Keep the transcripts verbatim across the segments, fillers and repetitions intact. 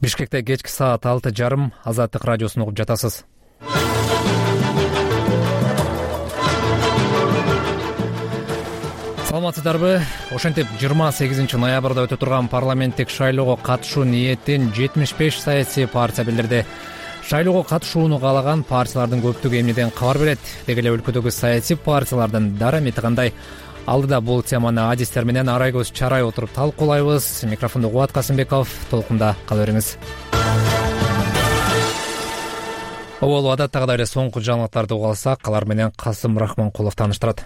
Бишкекте кечки саат алты жарым Азаттык радиосун угуп жатасыз. Саламатсыздарбы? Ошентип жыйырма сегизинчи ноябрда өтө турган парламенттик шайлоого катышуу ниетин жетимиш беш саясий партия билдирди. Шайлоого катышууну каалаган партиялардын көптүгү эмнеден кабар берет? Деги эле өлкөдөгү саясий партиялардын дарамети кандай? Алдыда бул теманы адистер менен арай көз чарай отуруп талкуулайбыз. Микрофондо Кубат Касымбеков, толкунда кала бериңиз. Оболу адаттагыдай эле соңку жаңылыктарды угуп алсак, алар менен Касым Рахманкулов тааныштырат.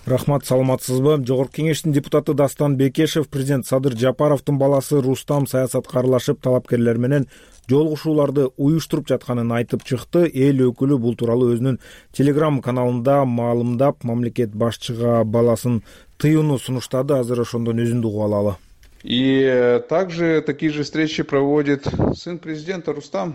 Рахмат, саламатсызбы? Жогорку кеңештин депутаты Дастан Бекешев президент Садыр Жапаровдун баласы Рустам саясатка аралашып, талапкерлер менен жолугушууларды уюштуруп жатканын айтып чыкты. Эл өкүлү бул тууралуу өзүнүн телеграм каналында маалымдап, мамлекет башчыга баласын тыюуну сунуштады. Азыр ошондон өзүндү угуп алалы. И также такие же встречи проводит сын президента Рустам.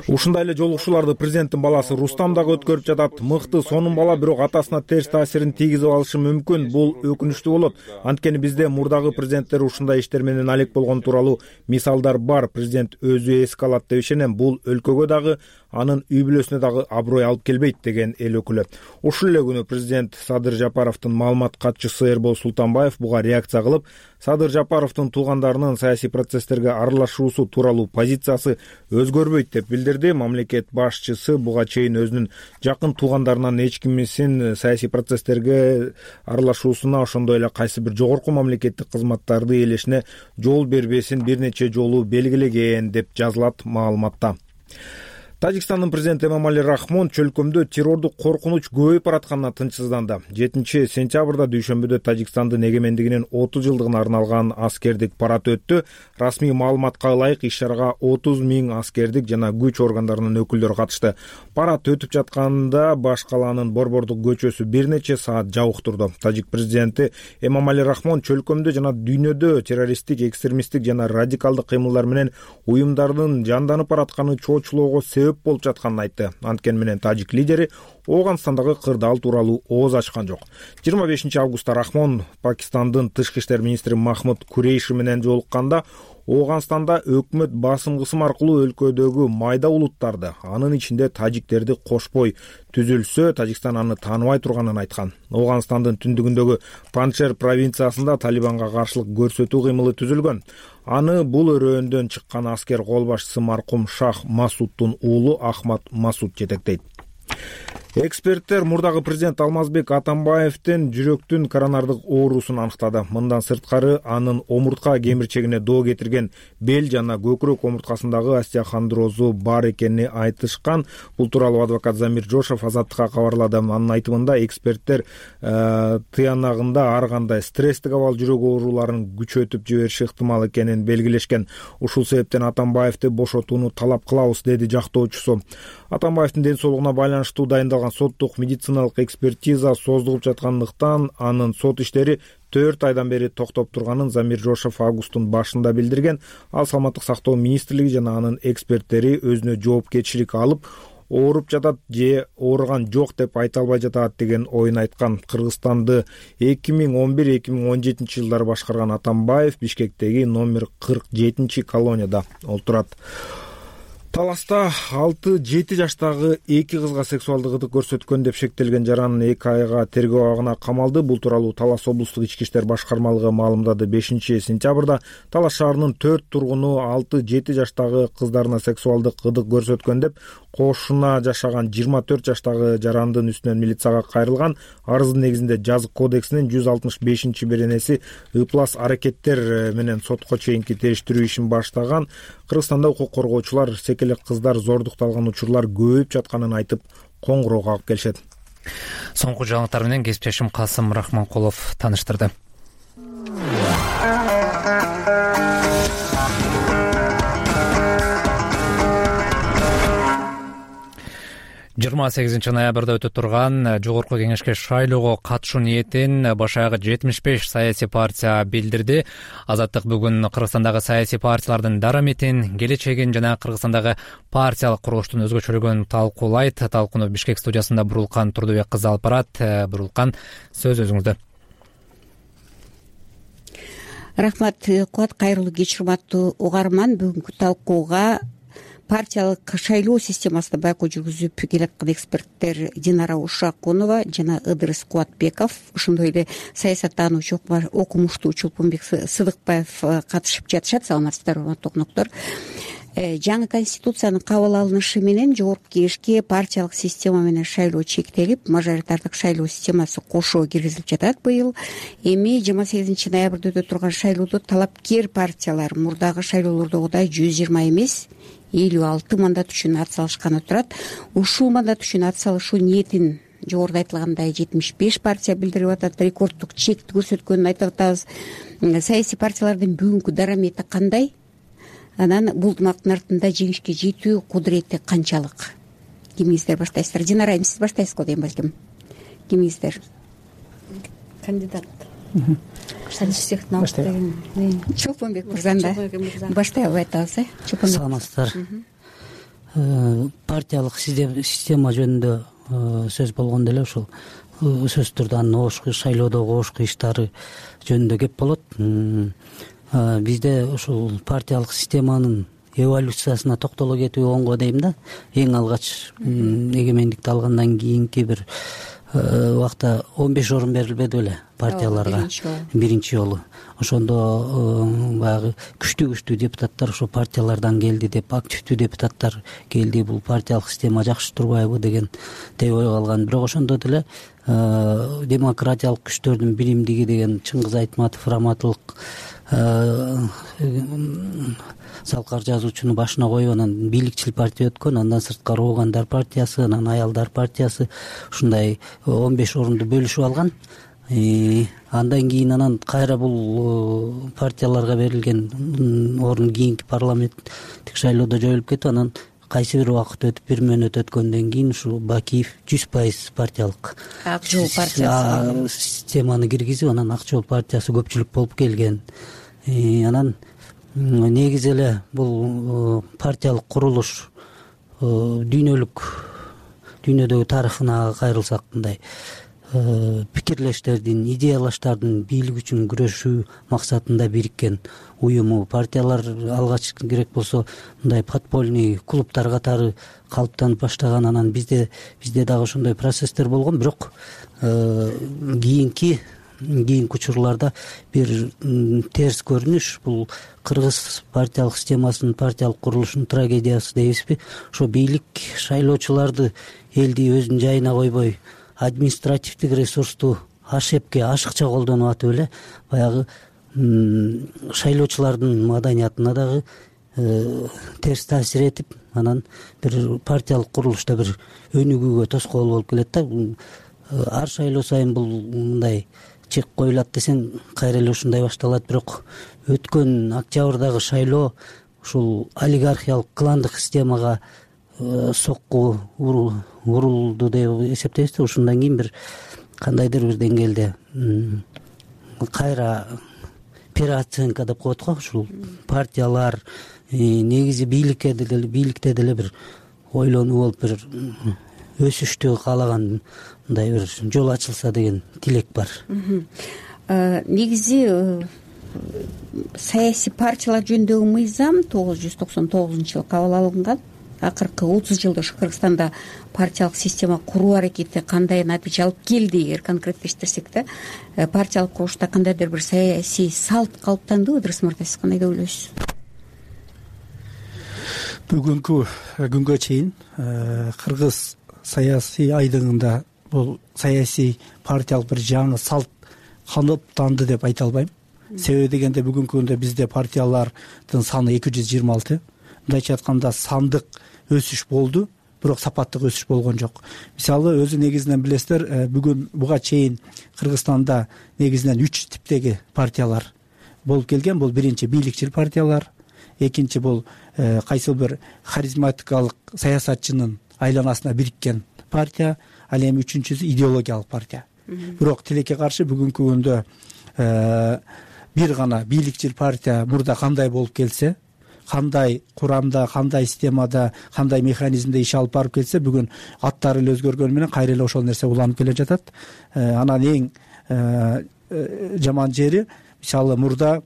Ушундай эле жолугушууларды президенттин баласы Рустам дагы өткөрүп жатат. Мыкты сонун бала, бирок атасына терс таасирин тийгизип алышы мүмкүн. Бул өкүнүчтүү болот. Анткени бизде мурдагы президенттер ушундай иштер менен алек болгон тууралуу мисалдар бар. Президент өзү эске алат деп ишенем. Бул өлкөгө дагы, анын үй бүлөсүнө дагы аброй алып келбейт, деген эл өкүлү. Ушул эле күнү президент Садыр Жапаровдун маалымат катчысы Эрбол Султанбаев буга реакция кылып, Садыр Жапаровдун туугандарынын саясий процесстерге аралашуусу тууралуу позициясы өзгөрбөйт деп билдирди. Мамлекет башчысы буга чейин өзүнүн жакын туугандарынан эч кимисин саясий процесстерге аралашуусуна, ошондой эле кайсы бир жогорку мамлекеттик кызматтарды ээлешине жол бербесин бир нече жолу белгилеген деп жазылат маалыматта. Тажикстандын президенти Эмомали Рахмон чөлкөмдө террордук коркунуч көбөйүп баратканына тынчсызданды. жетинчи сентябрда дүйшөмбүдө Тажикстандын эгемендигинин отуз жылдыгына арналган аскердик парад өттү. Расмий маалыматка ылайык иш-чарага отуз миң аскердик жана күч органдарынын өкүлдөрү катышты. Парад өтүп жатканда баш калаанын Борбордук көчөсү бир нече саат жабык турду. Тажик президенти Эмомали Рахмон чөлкөмдө жана дүйнөдө террористтик, экстремисттик жана радикалдык кыймылдар менен уюмдардын жанданып баратканы чоочулоого себеп болуп жатканын айтты. Анткени менен тажик лидери Оогандстандагы кырдаал тууралуу ооз ачкан жок. жыйырма бешинчи августта Рахмон Пакистандын тышкы иштер министри Махмуд Курейши менен жолукканда Оогандстанда өкмөт басым-кысым аркылуу өлкөдөгү майда улуттарды, анын ичинде тажиктерди кошпой түзүлсө, Тажикстан аны тааныбай турганын айткан. Оогандстандын түндүгүндөгү Панчшер провинциясында Талибанга каршылык көрсөтүү кыймылы түзүлгөн. Аны бул өрөөндөн чыккан аскер кол башчысы маркум Шах Масуддун уулу Ахмад Масуд жетектейт. Эксперттер мурдагы президент Алмазбек Атамбаевдин жүрөктүн коронардык оорусун аныктады. Мындан сырткары анын омуртка кемирчегине доо кетирген бел жана көкүрөк омурткасындагы остеохондрозу бар экенин айтышкан. Бул тууралуу адвокат Замир Жошов Азаттыкка кабарлады. Анын айтымында эксперттер э, тыянагында ар кандай стресстик абал жүрөк ооруларын күчөтүп жибериши ыктымал экенин белгилешкен. Ушул себептен Атамбаевди бошотууну талап кылабыз, деди жактоочусу. Атамбаевдин ден соолугуна байланыштуу дайындалган соттук медициналык экспертиза создугуп жаткандыктан анын сот иштери төрт айдан бери токтоп турганын Замир Жошов августтун башында билдирген. Ал саламаттык сактоо министрлиги жана анын эксперттери өзүнө жоопкерчилик алып, ооруп жатат же ооруган жок деп айта албай жатат деген оюн айткан. Кыргызстанды эки миң он бир эки миң он жетинчи жылдары башкарган Атамбаев Бишкектеги номер кырк жетинчи колонияда олтурат. Таласта алты жети жаштагы эки кызга сексуалдык ытык көрсөткөн деп шектелген жаранын эки айга тергөө абагына камалды. Бул тууралуу Талас облустук ички иштер башкармалыгы маалымдады. бешинчи сентябрда Талас шаарынын төрт тургуну алты жети жаштагы кыздарына сексуалдык ытык көрсөткөн деп кошуна жашаган жыйырма төрт жаштагы жарандын үстүнөн милицияга кайрылган. Арыздын негизинде жазык кодексинин жүз алтымыш бешинчи беренеси ыплас аракеттер менен сотко чейинки териштирүү ишин баштаган. Кыргызстанда укук коргоочулар секелек кыздар зордукталган учурлар көбөйүп жатканын айтып, коңгуроо кагып келишет. Соңку жаңылыктар менен кесиптешим Касым Рахманкулов тааныштырды. жыйырма сегизинчи ноябрда өтө турган жогорку кеңешке шайлоого катышуу ниетин баш аягы жетимиш беш саясий партия билдирди. Азаттык бүгүн Кыргызстандагы саясий партиялардын дараметин, келечегин жана Кыргызстандагы партиялык курулуштун өзгөчөлүгүн талкуулайт. Талкууну Бишкек студиясында Бурулкан Турдубек кызы алып барат. Бурулкан, сөз өзүңүздө. Рахмат Кубат, кайрылуу кеч урматтуу угарман. Бүгүнкү талкууга партиялык шайлоо системасында байкоо жүргүзүп келаткан эксперттер Динара Ушакунова жана Ыдырыс Кубатбеков, ошондой эле саясат таануучу окумуштуу Чулпунбек Сыдыкбаев катышып жатышат. Саламатсыздарбы, урматтуу окуноктор. Жаңы конституциянын кабыл алынышы менен жогорку кеңешке партиялык система менен шайлоо чектелип, мажоритардык шайлоо системасы кошо киргизилип жатат быйыл. Эми жыйырма сегизинчи ноябрда өтө турган шайлоодо талапкер партиялар мурдагы шайлоолордогудай жүз жыйырма эмес, элүү алты мандат үчүн ат салышканы турат. Ушул мандат үчүн ат салышуу ниетин жогоруда айтылгандай жетимиш беш партия билдирип атат. Рекорддук чекти көрсөткөнүн айтып атабыз. Саясий партиялардын бүгүнкү дарамети кандай? Анан бул ыкмактын артында жеңишке жетүү кудурети канчалык? Кимиңиздер баштайсыздар? Динара айым, сиз баштайсыз го дейм балким. Кимиңиздер? Кандидат. Чолпонбек мырзанда баштай алып айтабыз, э? Чолпонбек. Саламатсыздар. Партиялык система жөнүндө сөз болгондо эле ушул сөзсүз түрдө анын обошку шайлоодогу обошку иштери жөнүндө кеп болот. Бизде ушул партиялык системанын эволюциясына токтоло кетүү оңго дейм да. Эң алгач эгемендикти алгандан кийинки бир убакта он беш орун берилбеди беле партияларга биринчи жолу. Ошондо баягы күчтүү күчтүү депутаттар ошо партиялардан келди деп, активдүү депутаттар келди, бул партиялык система жакшы турбайбы деген деп ой калган. Бирок ошондо деле демократиялык күчтөрдүн биримдиги деген Чыңгыз Айтматов раматылык салкар жазуучуну башына коюп, анан бийликчил партия өткөн, андан сырткары Оогандар партиясы, анан Аялдар партиясы ушундай он беш орунду бөлүшүп алган. Андан кийин анан кайра бул партияларга берилген орун кийинки парламенттик шайлоодо жоюлуп кетип, анан кайсы бир убакыт өтүп, бир мөөнөт өткөндөн кийин ушул Бакиев жүз пайыз партиялык Ак жол партиясы системаны киргизип, анан Ак жол партиясы көпчүлүк болуп келген. Анан негизи эле бул партиялык курулуш дүйнөлүк дүйнөдөгү тарыхына кайрылсак, мындай пикирлештердин, идеялаштардын бийлик үчүн күрөшүү максатында бириккен уюму. Партиялар алгач керек болсо мындай подпольный клубтар катары калыптанып баштаган. Анан бизде бизде дагы ошондой процесстер болгон. Бирок кийинки кийинки учурларда бир терс көрүнүш, бул кыргыз партиялык системасынын, партиялык курулушунун трагедиясы дейбизби? Ошо бийлик шайлоочуларды элди өзүнүн жайына койбой, административдик ресурсту ашепке, ашыкча колдонуп атып эле баягы шайлоочулардын маданиятына дагы терс таасир этип, анан бир партиялык курулушта бир өнүгүүгө тоскоол болуп келет да. Ар шайлоо сайын бул мындай чек коюлат десең, кайра эле ушундай башталат. Бирок өткөн октябрдагы шайлоо ушул олигархиялык кландык системага сокку урулду деп эсептейбиз да. Ушундан кийин бир кандайдыр бир деңгээлде кайра переоценка деп коет го. Ушул партиялар негизи бийликке деле бийликте деле бир ойлонуу болуп, бир өсүштү каалаган мындай бир жол ачылса деген тилек бар. Негизи саясий партиялар жөнүндөгү мыйзам тогуз жүз токсон тогузунчу жылы кабыл алынган. Акыркы отуз жылда ушу Кыргызстанда партиялык система куруу аракети кандай натыйжа алып келди, эгер конкреттештирсек да, партиялык курулушта кандайдыр бир саясий салт калыптандыбы? Ыдырыс мырза, сиз кандай деп ойлойсуз? Бүгүнкү күнгө чейин кыргыз саясий айдыңында бул саясий партиялык бир жаңы салт калыптанды деп айта албайм. Себеби дегенде бүгүнкү күндө бизде партиялардын саны эки жүз жыйырма алты. Мындайча айтканда сандык өсүш болду, бирок сапаттык өсүш болгон жок. Мисалы, өзү негизинен билесиздер, бүгүн буга чейин Кыргызстанда негизинен үч типтеги партиялар болуп келген. Бул биринчи бийликчил партиялар, экинчи бул кайсыл бир харизматикалык саясатчынын айланасына бириккен партия, ал эми үчүнчүсү идеологиялык партия. Бирок тилекке каршы бүгүнкү күндө бир гана бийликчил партия мурда кандай болуп келсе, кандай курамда, кандай системада, кандай механизмде иш алып барып келсе, бүгүн аттары эле өзгөргөнү менен кайра эле ошол нерсе уланып келе жатат. Анан эң жаман жери, мисалы, мурда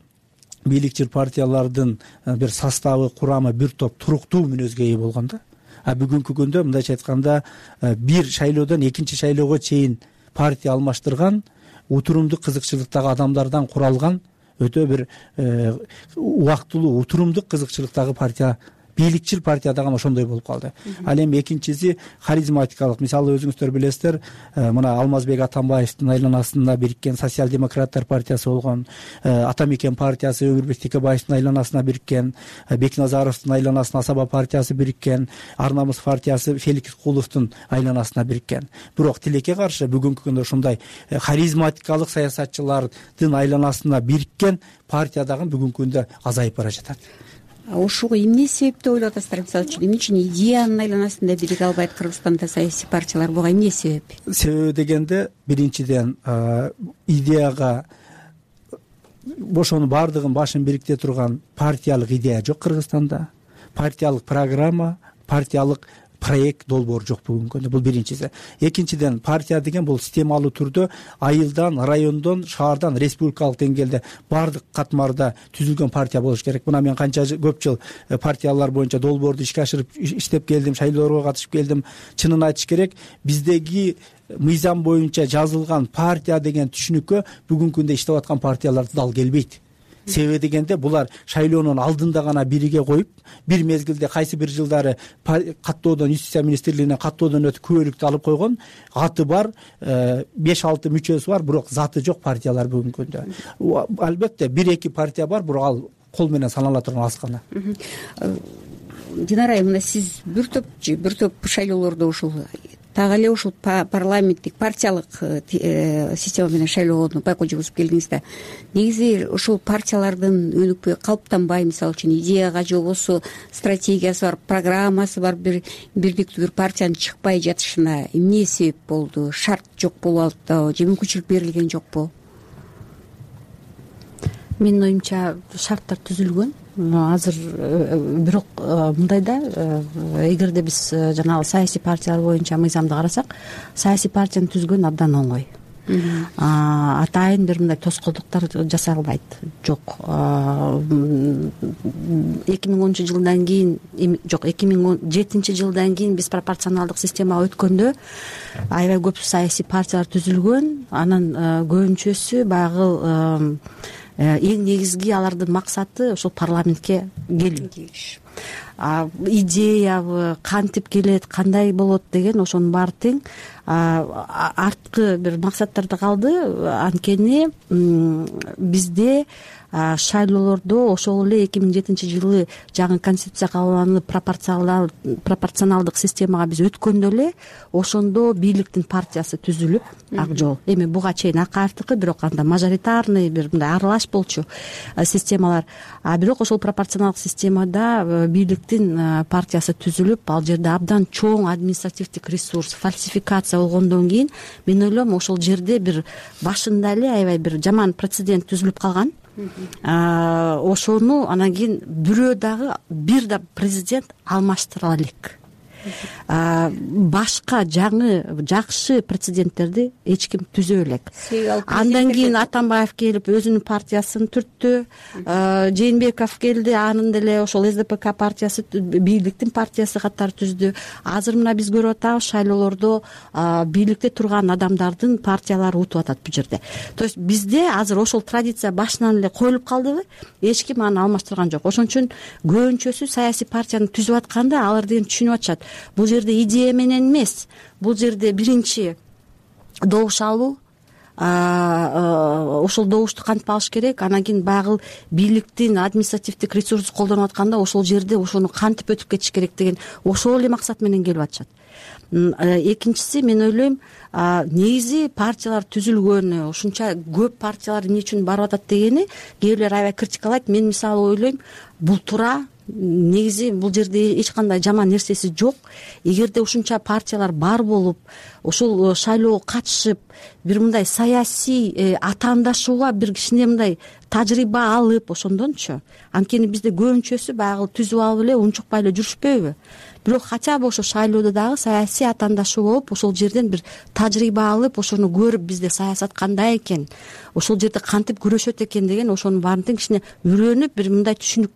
бийликчил партиялардын бир составы, курамы бир топ туруктуу мүнөзгө ээ болгон да. А бүгүнкү күндө мындайча айтканда бир шайлоодон экинчи шайлоого чейин партия алмаштырган, утурумдук кызыкчылыктагы адамдардан куралган өтө бир убактылуу, утурумдук кызыкчылыктагы партия, бийликчил партия дагы ошондой болуп калды. Ал эми экинчиси харизматикалык. Мисалы өзүңүздөр билесиздер, мына Алмазбек Атамбаевдин айланасында бириккен социал-демократтар партиясы болгон, Атамекен партиясы Өмүрбек Текебаевдин айланасына бириккен, Бекназаровдун айланасына Асаба партиясы бириккен, Ар намыс партиясы Феликс Куловдун айланасына бириккен. Бирок тилекке каршы бүгүнкү күндө ушундай харизматикалык саясатчылардын айланасына бириккен партия дагы бүгүнкү күндө азайып бара жатат. Ошого эмне себеп деп ойлоп атасыздар? Мисалы үчүн эмне үчүн идеянын айланасында бириге албайт Кыргызстанда саясий партиялар? Буга эмне себеп? Себеби дегенде биринчиден идеяга ошонун баардыгын башын бириктете турган партиялык идея жок Кыргызстанда. Партиялык программа, партиялык проект долбоор жок бүгүнкү күндө. Бул биринчиси. Экинчиден, партия деген бул системалуу түрдө айылдан, райондон, шаардан, республикалык деңгээлде баардык катмарда түзүлгөн партия болуш керек. Мына мен канча көп жыл партиялар боюнча долбоорду ишке ашырып иштеп келдим, шайлоолорго катышып келдим. Чынын айтыш керек, биздеги мыйзам боюнча жазылган партия деген түшүнүккө бүгүнкү күндө иштеп аткан партиялар дал келбейт. Себеби дегенде булар шайлоонун алдында гана бириге коюп, бир мезгилде кайсы бир жылдары каттоодон, юстиция министрлигинен каттоодон өтүп күбөлүктү алып койгон, аты бар, беш алты мүчөсү бар, бирок заты жок партиялар бүгүнкү күндө. Албетте бир эки партия бар, бирок ал кол менен санала турган аз гана. Динара айым, мына сиз бир топ бир топ шайлоолордо ушул так эле ушул парламенттик партиялык система менен шайлоону байкоо жүргүзүп келдиңиз да. Негизи ушул партиялардын өнүкпөй, калыптанбай, мисалы үчүн идеяга же болбосо стратегиясы бар, программасы бар бир бирдиктүү бир партиянын чыкпай жатышына эмне себеп болду? Шарт жок болуп атпабы же мүмкүнчүлүк берилген жокпу? Менин оюмча шарттар түзүлгөн. Азыр бирок мындай да, эгерде биз жанагы саясий партиялар боюнча мыйзамды карасак, саясий партияны түзгөн абдан оңой. Атайын бир мындай тоскоолдуктар жасалбайт. Жок. эки миң онунчу жылдан кийин, жок, эки миң он жетинчи жылдан кийин биз пропорционалдык системага өткөндө аябай көп саясий партиялар түзүлгөн. Анан көбүнчөсү баягы эң негизги алардын максаты ошол парламентке келүү. Идеябы, кантип келет, кандай болот деген ошонун баары тең. Арткы бир максаттарда калды. Анткени бизде шайлоолордо ошол эле эки миң жетинчи жылы жаңы конституция кабыл пропорционалдык системага биз өткөндө эле ошондо бийликтин партиясы түзүлүп, ак жол. Эми буга чейин Акаевдики, бирок анда мажоритарный бир мындай аралаш болчу системалар. А бирок ошол пропорционалдык системада бийликтин партиясы түзүлүп, ал жерде абдан чоң административдик ресурс, фальсификация болгондон кийин мен ойлойм ошол жерде бир башында эле аябай бир жаман прецедент түзүлүп калган. Ошону анан кийин бирөө дагы бир да президент алмаштыра элек. Башка жаңы жакшы прецеденттерди эч ким түзө элек. Андан кийин Атамбаев келип өзүнүн партиясын түрттү. Жээнбеков келди, анын деле ошол эс дэ пэ ка партиясы, бийликтин партиясы катары түздү. Азыр мына биз көрүп атабыз, шайлоолордо бийликте турган адамдардын партиялары утуп атат бул жерде. То есть бизде азыр ошол традиция башынан эле коюлуп калдыбы? Эч ким аны алмаштырган жок. Ошон үчүн көбүнчөсү саясий партияны түзүп атканда алар деген түшүнүп атышат. Бул жерде идея менен эмес, бул жерде биринчи добуш алуу, ошол добушту кантип алыш керек, анан кийин баягы бийликтин административдик ресурсун колдонуп атканда ошол жерде ошону кантип өтүп кетиш керек деген ошол эле максат менен келип атышат. Экинчиси, мен ойлойм, негизи партиялар түзүлгөнү, ушунча көп партиялар эмне үчүн барып атат дегени кээ бирлер аябай критикалайт. Мен мисалы ойлойм, бул туура. Негизи бул жерде эч кандай жаман нерсеси жок. Эгерде ушунча партиялар бар болуп, ошол шайлоого катышып, бир мындай саясий атаандашууга бир кичине мындай тажрыйба алып ошондончу. Анткени бизде көбүнчөсү баягы түзүп алып эле унчукпай эле жүрүшпөйбү. Бирок хотя бы ошо шайлоодо дагы саясий атаандашуу болуп, ошол жерден бир тажрыйба алып, ошону көрүп бизде саясат кандай экен, ошол жерде кантип күрөшөт экен деген ошонун баарын тең кичине үйрөнүп, бир мындай түшүнүк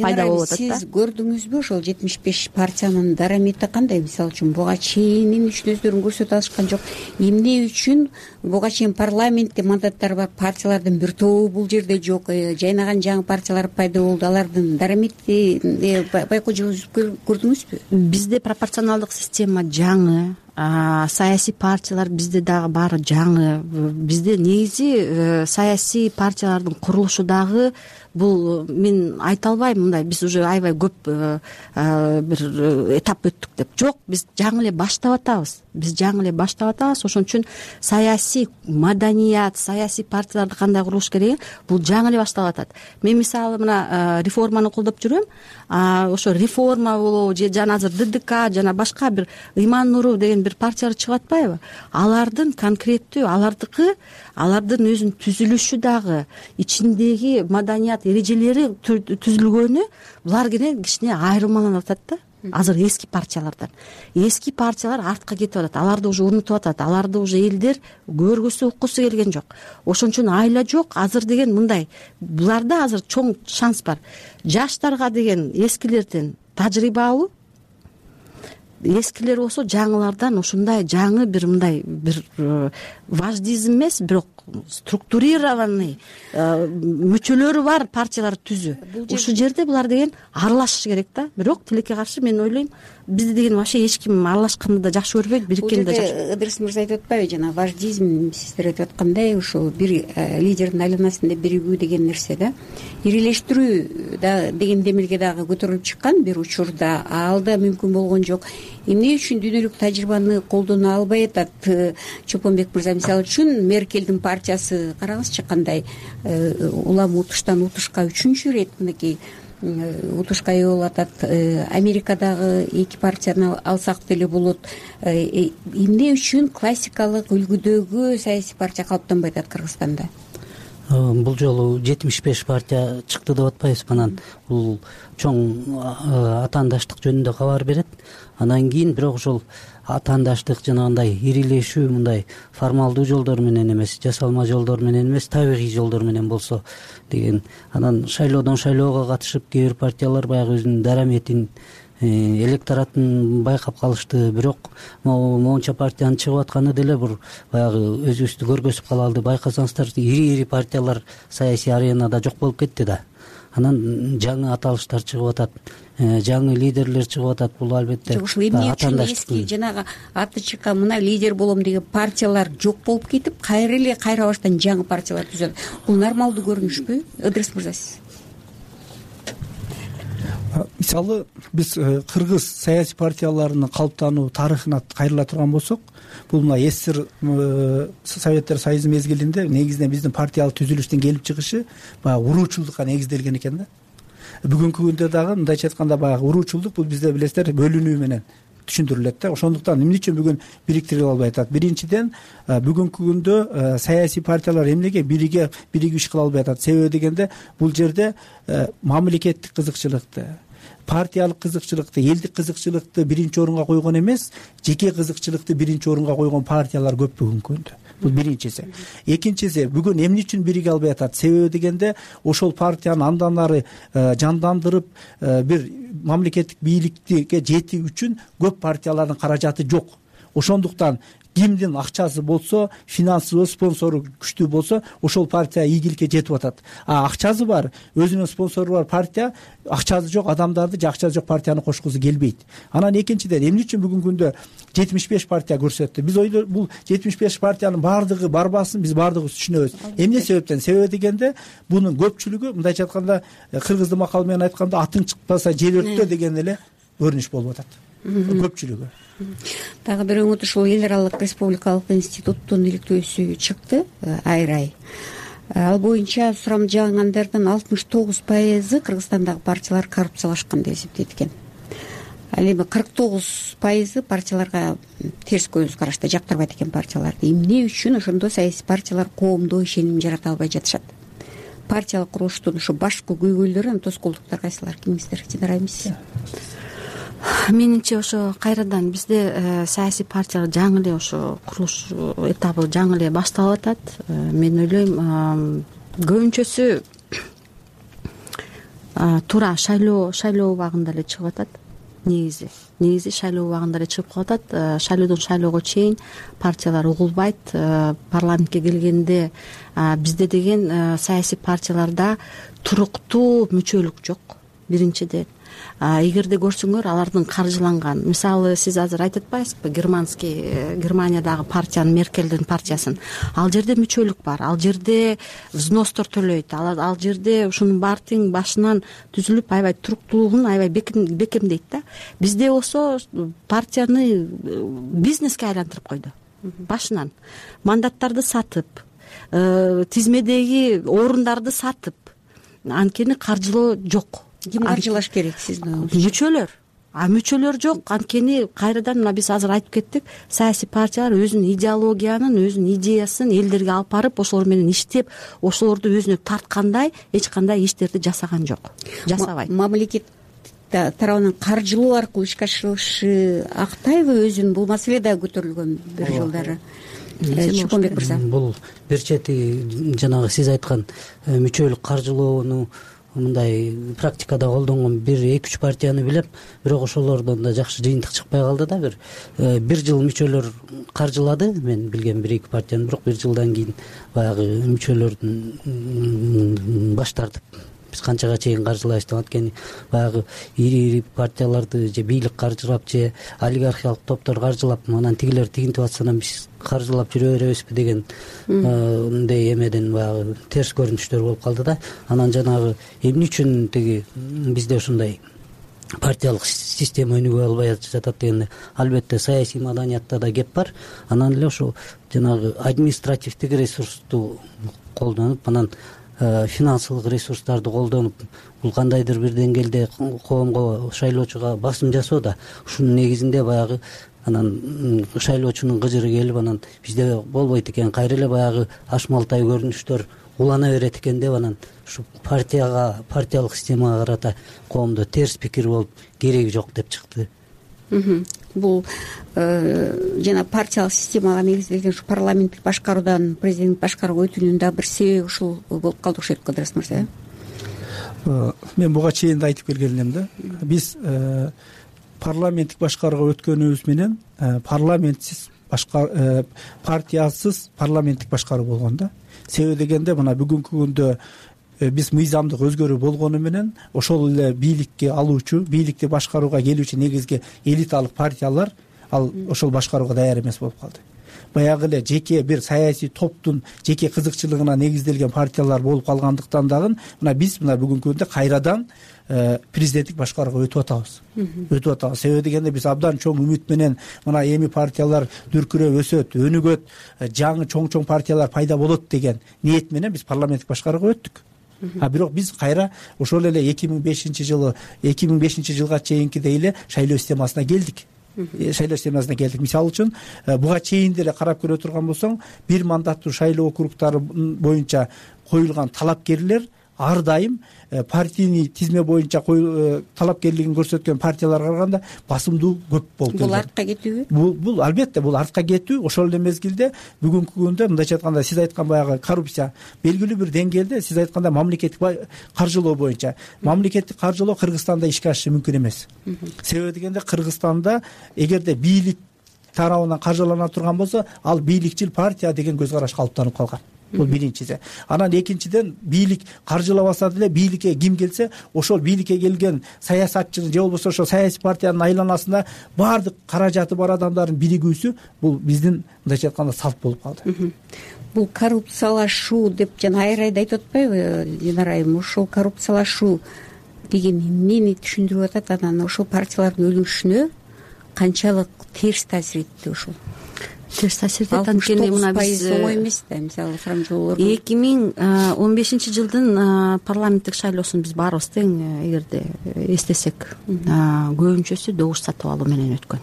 пайда болуп атат да. Сиз көрдүңүзбү ошол жетимиш беш партиянын дарамети кандай? Мисалы үчүн буга чейин эмне үчүн өздөрүн көрсөтө алышкан жок? Эмне үчүн буга чейин парламентте мандаттары бар партиялардын бир тобу бул жерде жок? Жайнаган жаңы партиялар пайда болду. Алардын дарамети байкоо жүргүзүп көрдүңүзбү? Бизде пропорционалдык система жаңы, саясий партиялар бизде дагы баары жаңы. Бизде негизи саясий партиялардын курулушу дагы бул мен айта албайм мындай биз уже аябай көп бир этап өттүк деп. Жок, биз жаңы эле баштап атабыз. Биз жаңы эле баштап атабыз. Ошон үчүн саясий маданият, саясий партияларды кандай курулуш керек, бул жаңы эле башталып атат. Мен мисалы мына реформаны колдоп жүрөм. Ошо реформа болобу же жана азыр ДДК жана башка бир Ыйман Нуров деген бир партиялар чыгып атпайбы? Алардын конкреттүү, алардыкы, алардын өзүнүн түзүлүшү дагы, ичиндеги маданият эрежелери түзүлгөнү булар кенен кичине айырмаланып атат да. Азыр эски партиялардан. Эски партиялар артка кетип атат. Аларды уже унутуп атат. Аларды уже элдер көргүсү, уккусу келген жок. Ошон үчүн айла жок. Азыр деген мындай. Буларда азыр чоң шанс бар. Жаштарга деген эскилерден тажрыйба алуу, эскилер болсо жаңылардан ушундай жаңы бир мындай бир важдизм эмес, бирок структурированный мүчөлөрү бар партиялар түзүү. Ушул жерде булар деген аралашыш керек да. Бирок тилекке каршы мен ойлойм, бизде деген вообще эч ким аралашканды да жакшы көрбөйт, бириккенди да жакшы. Ыдырыс мырза айтып атпайбы, жана важдизм сиздер айтып аткандай ушул бир лидердин айланасында биригүү деген нерсе да. Ирилештирүү да деген демилге дагы көтөрүлүп чыккан бир учурда, ал да мүмкүн болгон жок. Эмне үчүн дүйнөлүк тажрыйбаны колдоно албай атат? Чопонбек мырза мисалы үчүн Меркелдин партиясы караңызчы кандай улам утуштан утушка үчүнчү ирет мынакей утушка ээ болуп атат. Америкадагы эки партияны алсак деле болот. Эмне үчүн классикалык үлгүдөгү саясий партия калыптанбай атат Кыргызстанда? Бул жолу жетимиш беш партия чыкты деп атпайбызбы? Анан бул чоң атаандаштык жөнүндө кабар берет. Андан кийин бирок ошол атаандаштык жанагындай ирилешүү мындай формалдуу жолдор менен эмес, жасалма жолдор менен эмес, табигый жолдор менен болсо деген. Анан шайлоодон шайлоого катышып кээ бир партиялар баягы өзүнүн дараметин, электоратын байкап калышты. Бирок моунча партиянын чыгып атканы деле бир баягы өзүбүздү көргөзүп калалды. Байкасаңыздар, ири-ири партиялар саясий аренада жок болуп кетти да. Анан жаңы аталыштар чыгып атат, жаңы лидерлер чыгып атат. Бул албетте ушул эмне үчүн эски жанагы аты чыккан мына лидер болом деген партиялар жок болуп кетип, кайра эле кайра баштан жаңы партиялар түзөт. Бул нормалдуу көрүнүшпү? Ыдырыс мырза сиз? Мисалы биз кыргыз саясий партияларынын калыптануу тарыхына кайрыла турган болсок, бул мына СССР Советтер Союзу мезгилинде негизинен биздин партиялык түзүлүштүн келип чыгышы баягы уруучулдукка негизделген экен да. Бүгүнкү күндө дагы мындайча айтканда баягы уруучулдук бул бизде билесиздер бөлүнүү менен түшүндүрүлөт да. Ошондуктан эмне үчүн бүгүн бириктирип албай атат? Биринчиден, бүгүнкү күндө саясий партиялар эмнеге бириге биригип иш кыла албай атат? Себеби дегенде бул жерде мамлекеттик кызыкчылыкты, партиялык кызыкчылыкты, элдик кызыкчылыкты биринчи орунга койгон эмес, жеке кызыкчылыкты биринчи орунга койгон партиялар көп бүгүнкү күндө. Бул биринчиси. Экинчиси, бүгүн эмне үчүн бириге албай атат? Себеби дегенде ошол партияны андан ары жандандырып бир мамлекеттик бийликке жетүү үчүн көп партиялардын каражаты жок. Ошондуктан кимдин акчасы болсо, финансылуу спонсору күчтүү болсо, ошол партия ийгиликке жетип атат. А акчасы бар, өзүнүн спонсору бар партия акчасы жок адамдарды же акчасы жок партияны кошкусу келбейт. Анан экинчиден, эмне үчүн бүгүнкү күндө жетимиш беш партия көрсөттү? Биз ойлойбуз, бул жетимиш беш партиянын баардыгы барбасын, биз баардыгыбыз түшүнөбүз. Эмне себептен? Себеби дегенде, бунун көпчүлүгү мындайча айтканда, кыргыздын макалы менен айтканда, атың чыкпаса жер өрттө деген эле көрүнүш болуп атат. Көпчүлүгү. Дагы бир оңот ушул эл аралык республикалык институттун иликтөөсү чыкты, Айрай. Ал боюнча сурамжылангандардын алтымыш тогуз пайызы Кыргызстандагы партиялар коррупциялашкан деп эсептейт экен. ал эми кырк тогуз пайызы партияларга терс көз карашта, жактырбайт экен партияларды. Эмне үчүн ошондо саясий партиялар коомдо ишеним жарата албай жатышат? Партиялык курулуштун ушу башкы көйгөйлөрү, анан тоскоолдуктар кайсылар? Кимиңиздер? Динара эмес? Менимче ошо кайрадан бизде саясий партиялар жаңы эле ошо курулуш этабы жаңы эле башталып атат. Мен ойлойм көбүнчөсү туура шайлоо шайлоо убагында эле чыгып атат. Негизи негизи шайлоо убагында эле чыгып калып атат. Шайлоодон шайлоого чейин партиялар угулбайт. Парламентке келгенде бизде деген саясий партияларда туруктуу мүчөлүк жок. Биринчиден, эгерде көрсөңөр алардын каржыланган, мисалы сиз азыр айтып атпайсызбы, германский Германиядагы партиянын, Меркелдин партиясын, ал жерде мүчөлүк бар, ал жерде взностор төлөйт, ал жерде ушунун баары тең башынан түзүлүп, аябай туруктуулугун аябай бекемдейт да. Бизде болсо партияны бизнеске айлантырып койду башынан. Мандаттарды сатып, тизмедеги орундарды сатып, анткени каржылоо жок. Ким каржылаш керек сиздин оюңузча? Мүчөлөр. А мүчөлөр жок. Анткени кайрадан мына биз азыр айтып кеттик, саясий партиялар өзүнүн идеологиянын, өзүнүн идеясын элдерге алып барып, ошолор менен иштеп, ошолорду өзүнө тарткандай эч кандай иштерди жасаган жок. Жасабайт. Мамлекет тарабынан каржылоо аркылуу ишке ашырышы актайбы өзүн? Бул маселе да көтөрүлгөн бир жылдары. Чукунбек мырза. Бул бир чети жанагы сиз айткан мүчөлүк каржылоону мындай практикада колдонгон бир эки үч партияны билем, бирок ошолордон да жакшы жыйынтык чыкпай калды да. Бир бир жыл мүчөлөр каржылады, мен билген бир эки партияны, бирок бир жылдан кийин баягы мүчөлөрдүн баш тартып биз канчага чейин каржылайбыз деп, анткени баягы ири-ири партияларды же бийлик каржылап, же олигархиялык топтор каржылап, анан тигилер тигинтип атса анан биз каржылап жүрө беребизби деген мындай эмеден баягы терс көрүнүштөр болуп калды да. Анан жанагы эмне үчүн тиги бизде ушундай партиялык система өнүгө албай жатат дегенде, албетте саясий маданиятта да кеп бар. Анан эле ошо жанагы административдик ресурсту колдонуп, анан финансылык ресурстарды колдонуп, бул кандайдыр бир деңгээлде коомго, шайлоочуга басым жасоо да. Ушунун негизинде баягы анан шайлоочунун кыжыры келип, анан бизде болбойт экен, кайра эле баягы ашмалтай көрүнүштөр улана берет экен деп, анан ушу партияга, партиялык системага карата коомдо терс пикир болуп, кереги жок деп чыкты. Бул жана партиялык системага негизделген ушу парламенттик башкаруудан президенттик башкарууга өтүүнүн да бир себеби ушул болуп калды окшойт, Кыдырыс мырза. Мен буга чейин да айтып келген элем да. Биз парламенттик башкарууга өткөнүбүз менен парламентсиз башкар партиясыз парламенттик башкаруу болгон да. Себеби дегенде мына бүгүнкү күндө биз мыйзамдык өзгөрүү болгону менен ошол эле бийликке алуучу, бийликти башкарууга келүүчү негизги элиталык партиялар ал ошол башкарууга даяр эмес болуп калды. Баягы эле жеке бир саясий топтун жеке кызыкчылыгына негизделген партиялар болуп калгандыктан дагы мына биз мына бүгүнкү күндө кайрадан президенттик башкарууга өтүп атабыз. Өтүп атабыз. Себеби дегенде биз абдан чоң үмүт менен мына эми партиялар дүркүрөп өсөт, өнүгөт, жаңы чоң-чоң партиялар пайда болот деген ниет менен биз парламенттик башкарууга өттүк. А бирок биз кайра ошол эле эки миң бешинчи жылы эки миң бешинчи жылга чейинкидей эле шайлоо системасына келдик. Шайлоо системасына келдик. Мисалы үчүн буга чейин деле карап көрө турган болсоң, бир мандаттуу шайлоо округдары боюнча коюлган талапкерлер ар дайым партийный тизме боюнча талапкерлигин көрсөткөн партияларга караганда басымдуу көп болуп келген. Бул артка кетүүбү? Бул бул албетте бул артка кетүү. Ошол эле мезгилде бүгүнкү күндө мындайча айтканда сиз айткан баягы коррупция белгилүү бир деңгээлде, сиз айтканда мамлекеттик каржылоо боюнча мамлекеттик каржылоо Кыргызстанда ишке ашышы мүмкүн эмес. Себеби дегенде Кыргызстанда эгерде бийлик тарабынан каржылана турган болсо, ал бийликчил партия деген көз караш калыптанып калган. Бул биринчиси. Анан экинчиден, бийлик каржылабаса деле бийликке ким келсе, ошол бийликке келген саясатчынын же болбосо ошол саясий партиянын айланасында баардык каражаты бар адамдардын биригүүсү бул биздин мындайча айтканда салт болуп калды. Бул коррупциялашуу деп жана айрайда айтып атпайбы Динара айым? Ошол коррупциялашуу деген эмнени түшүндүрүп атат? Анан ошол партиялардын өнүгүшүнө канчалык терс таасир этти ушул? терс таасир этет. Анткени мына биз оңой эмес да, мисалы франжолор эки миң он бешинчи жылдын парламенттик шайлоосун биз баарыбыз тең эгерде эстесек көбүнчөсү добуш сатып алуу менен өткөн.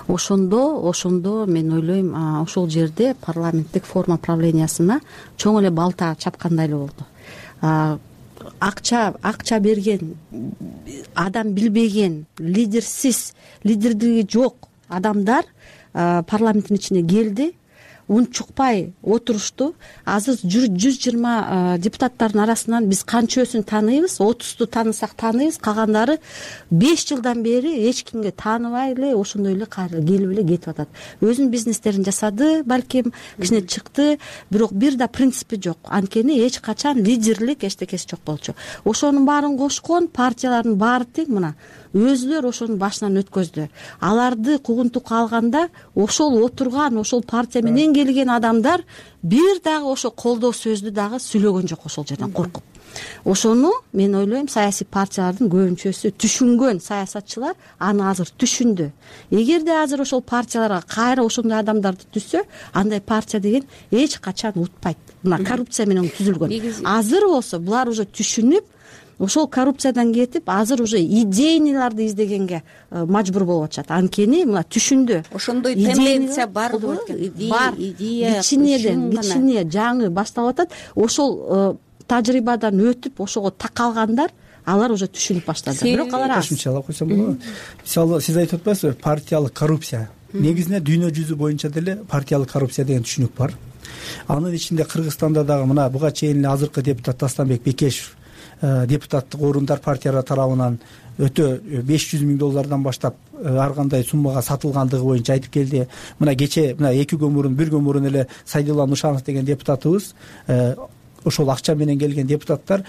Ошондо ошондо мен ойлойм ошол жерде парламенттик форма правлениясына чоң эле балта чапкандай эле болду. Акча акча берген, адам билбеген, лидерсиз, лидердиги жок адамдар парламенттин ичине келди, унчукпай отурушту. Азыр жүз жыйырма депутаттардын арасынан биз канчөсүн тааныйбыз? отузду таанысак тааныйбыз, калгандары беш жылдан бери эч кимге тааныбай эле ошондой эле кайра келип эле кетип атат. Өзүнүн бизнестерин жасады, балким кичине чыкты, бирок бир да принципи жок. Анткени эч качан лидерлик эчтекеси жок болчу. Ошонун баарын кошкон партиялардын баары тең мына өзүлөр ошонун башынан өткөздү. Аларды кугунтукка алганда ошол отурган, ошол партия менен келген адамдар бир дагы ошо колдоо сөздү дагы сүйлөгөн жок ошол жерден коркуп. Ошону мен ойлойм саясий партиялардын көбүнчөсү түшүнгөн саясатчылар аны азыр түшүндү. Эгерде азыр ошол партияларга кайра ошондой адамдарды түзсө, андай партия деген эч качан утпайт. Мына коррупция менен түзүлгөн. Азыр болсо булар уже түшүнүп, ошол коррупциядан кетип, азыр уже идейныйларды издегенге мажбур болуп атышат. Анткени мына түшүндү. Ошондой тенденция барбы? Бар. Кичинеден кичине жаңы башталып атат. Ошол тажрыйбадан өтүп, ошого такалгандар алар уже түшүнүп баштады. Бирок алар аз. Кошумчалап койсом болобу? Мисалы сиз айтып атпайсызбы, партиялык коррупция. Негизинен дүйнө жүзү боюнча деле партиялык коррупция деген түшүнүк бар. Анын ичинде Кыргызстанда дагы мына буга чейин эле азыркы депутат Тастанбек Бекешев депутаттык орундар партиялар тарабынан өтө беш жүз миң доллардан баштап ар кандай суммага сатылгандыгы боюнча айтып келди. Мына кече мына эки күн мурун, бир күн мурун эле Сайдулла Нушанов деген депутатыбыз ошол акча менен келген депутаттар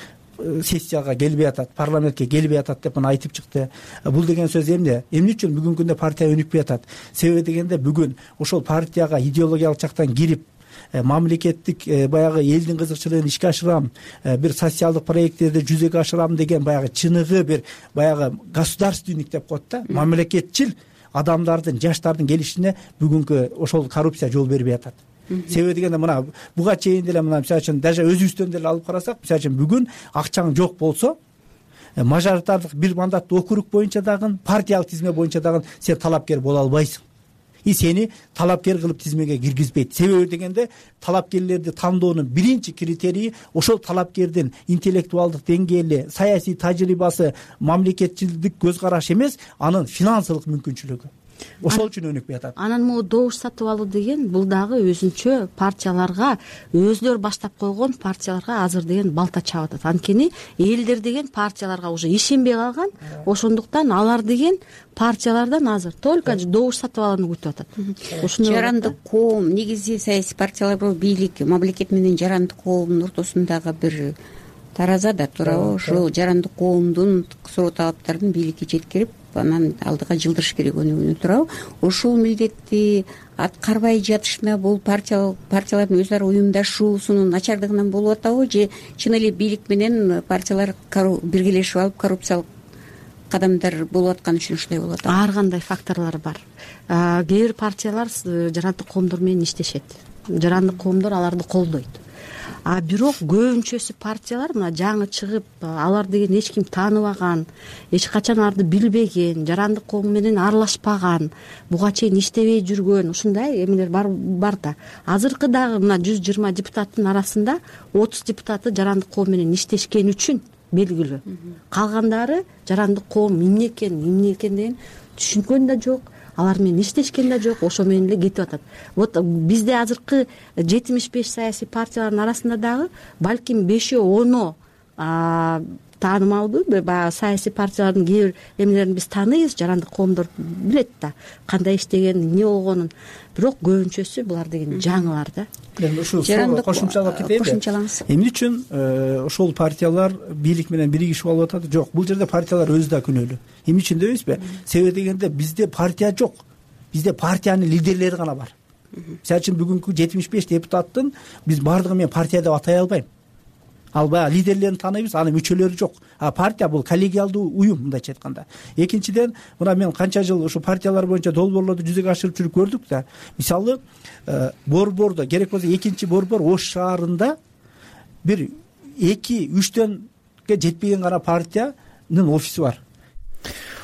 сессияга келбей атат, парламентке келбей атат деп мына айтып чыкты. Бул деген сөз эмне? Эмне үчүн бүгүнкү күндө партия өнүкпөй атат? Себеби дегенде бүгүн ошол партияга идеологиялык жактан кирип мамлекеттик баягы элдин кызыкчылыгын ишке ашырам, бир социалдык проекттерди жүзөгө ашырам деген баягы чыныгы бир баягы государственник деп коет да, мамлекетчил адамдардын, жаштардын келишине бүгүнкү ошол коррупция жол бербей атат. Себеби дегенде мына буга чейин деле мына мисалы үчүн даже өзүбүздөн деле алып карасак, мисалы үчүн бүгүн акчаң жок болсо, мажоритардык бир мандаттуу округ боюнча дагы, партиялык тизме боюнча дагы сен талапкер боло албайсың. И сени талапкер кылып тизмеге киргизбейт. Себеби дегенде талапкерлерди тандоонун биринчи критерийи ошол талапкердин интеллектуалдык деңгээли, саясий тажрыйбасы, мамлекетчилдик көз карашы эмес, анын финансылык мүмкүнчүлүгү. Ошол үчүн өнүкпөй атат. Анан могу добуш сатып алуу деген бул дагы өзүнчө партияларга, өзүлөр баштап койгон партияларга азыр деген балта чаап атат. Анткени элдер деген партияларга уже ишенбей калган. Ошондуктан алар деген партиялардан азыр только добуш сатып алууну күтүп атат. Ошондой жарандык коом, негизи саясий партиялар бул бийлик, мамлекет менен жарандык коомдун ортосундагы бир тараза да, туурабы? Ошол жарандык коомдун суроо талаптарын бийликке жеткирип, анан алдыга жылдырыш керек өнүгүүнү, туурабы? Ошол милдетти аткарбай жатышына бул партия партиялардын өз ара уюмдашуусунун начардыгынан болуп атабы, же чын эле бийлик менен партиялар биргелешип алып коррупциялык кадамдар болуп атканы үчүн ушундай болуп атат? Ар кандай факторлор бар. Кээ бир партиялар жарандык коомдор менен иштешет. Жарандык коомдор аларды колдойт. А бирок көбүнчөсү партиялар мына жаңы чыгып, алар деген эч ким тааныбаган, эч качан аларды билбеген, жарандык коом менен аралашпаган, буга чейин иштебей жүргөн ушундай эмелер бар бар да. Азыркы дагы мына жүз жыйырма депутаттын арасында отуз депутаты жарандык коом менен иштешкен үчүн белгилүү. Калгандары жарандык коом эмне экен, эмне экен деген түшүнкөн да жок, алар менен иштешкен да жок, ошо менен эле кетип атат. Вот бизде азыркы жетимиш беш саясий партиялардын арасында дагы балким бешөө оно таанымалбы, баягы саясий партиялардын кээ бир эмелерин биз тааныйбыз, жарандык коомдор билет да кандай иштеген, эмне болгонун. Бирок көбүнчөсү булар деген жаңылар да. Эми ушул кошумчалап кетейинби? Кошумчалаңыз. Эмне үчүн ошол партиялар бийлик менен биригишип алып атат? Жок, бул жерде партиялар өзү да күнөөлүү. Эмне үчүн дебейсизби? Себеби дегенде бизде партия жок. Бизде партиянын лидерлери гана бар. Мисалы үчүн бүгүнкү жетимиш беш депутаттын биз баардыгын мен партия деп атай албайм. ал баягы лидерлерин тааныйбыз, анын мүчөлөрү жок. А партия бул коллегиалдуу уюм, мындайча айтканда. Экинчиден, мына мен канча жыл ушу партиялар боюнча долбоорлорду жүзөгө ашырып жүрүп көрдүк да. Мисалы, борбордо керек болсо экинчи борбор Ош шаарында бир эки үчтөнгө жетпеген гана партиянын офиси бар.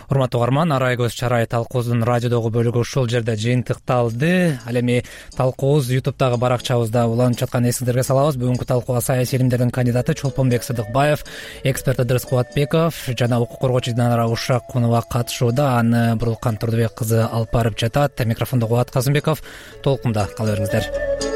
Урматтуу угарман, Арай көз чарай талкуубуздун радиодогу бөлүгү ушул жерде жыйынтыкталды. Ал эми талкуубуз ютубтагы баракчабызда уланып жатканын эсиңиздерге салабыз. Бүгүнкү талкууга саясий илимдердин кандидаты Чолпонбек Сыдыкбаев, эксперт Ыдырыс Кубатбеков жана укук коргоочу Динара Ушакунова катышууда. Аны Бурулкан Турдубек кызы алып барып жатат. Микрофондо Кубат Казымбеков. Толкунда кала бериңиздер.